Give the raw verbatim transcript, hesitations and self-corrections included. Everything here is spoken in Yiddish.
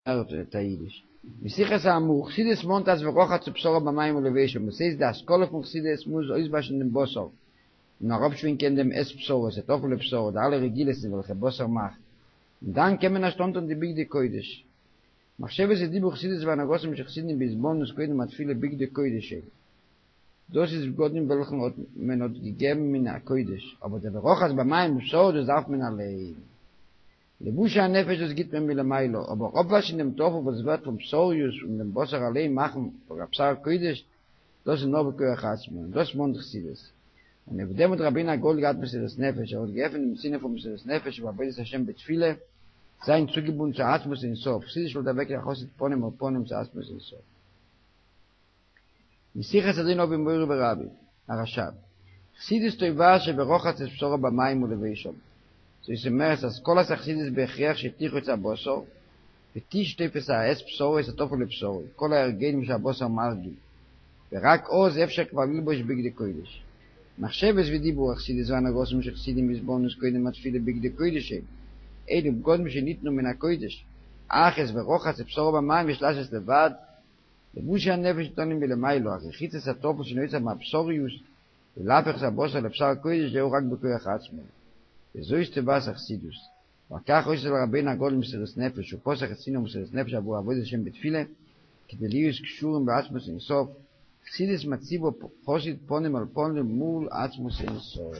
הערט א אידיש. משיחת האמור, חסידות מאנט אז ורחץ בשרו במים ולבשם, דאס הייסט די השכלה פון חסידות מוז אויסוואשן דעם בשר און אראפשווינקען דעם את בשרו, את הטפל לבשרו, די אלע רגילות וועלכע בשר מאכט, און דאן קען מען ערשט אנטון די בגדי קודש. מחשבת ודיבור חסידות והנהגתם של חסידים בהתבוננות קודם התפילה בגדי קודש הן. דאס איז בגדים וועלכן האט מען האט געגעבן מן הקודש, אבער דער ורחץ במים לבשרו דאס דארף מען אליין. לבושי הנפש דאס גיט מען מלמעלה, אבער אפוואשן דעם טפל וואס ווערט פון בשריות און דעם בשר אליין מאכן פאר א בשר קודש, דאס איז נאר בכח עצמו, און דאס מאנט חסידות. און אויף דעם האט רבינו הגדול געהאט מסירות נפש, ער האט געעפנט דעם צינור פון מסירות נפש ובעבודת השם בתפילה, זיין צוגעבונדן צו עצמות אין סוף, חסידות שטעלט אוועק א חסיד פנים אל פנים צו עצמות אין סוף. משיחת אדון אבי מורי ורבי, הרש"ב. חסידות תובעת שורחץ את בשרו במים ולבשם. זאת אומרת, השכלת החסידות בהכרח שתרחוץ הבשר, ותשטוף את האת בשרו את הטפל לבשרו, כל ההרגלים שהבשר מרגיל. ורק אז אפשר כבר ללבוש בגדי קודש. מחשבת ודיבור החסידות והנהגתם של חסידים בהתבוננות קודם התפילה בגדי קודש הן. אלו בגדים שניתנו מן הקודש. אך את ורחץ את בשרו במים יש לעשות לבד. לבושי הנפש ניתנים מלמעלה, אך רחיצת הטפל שנוצר מהבשריות ולהפך את הבשר לבשר קודש זהו רק בכוח עצמו. וזאת תורת החסידות. ועל כך היתה לרבינו הגדול מסירות נפש, הוא פתח את צינור מסירות נפש עבור עבודת השם בתפילה, כדי להיות קשורים בעצמות אין סוף. חסידות מציבה חסיד פנים אל פנים מול עצמות אין סוף.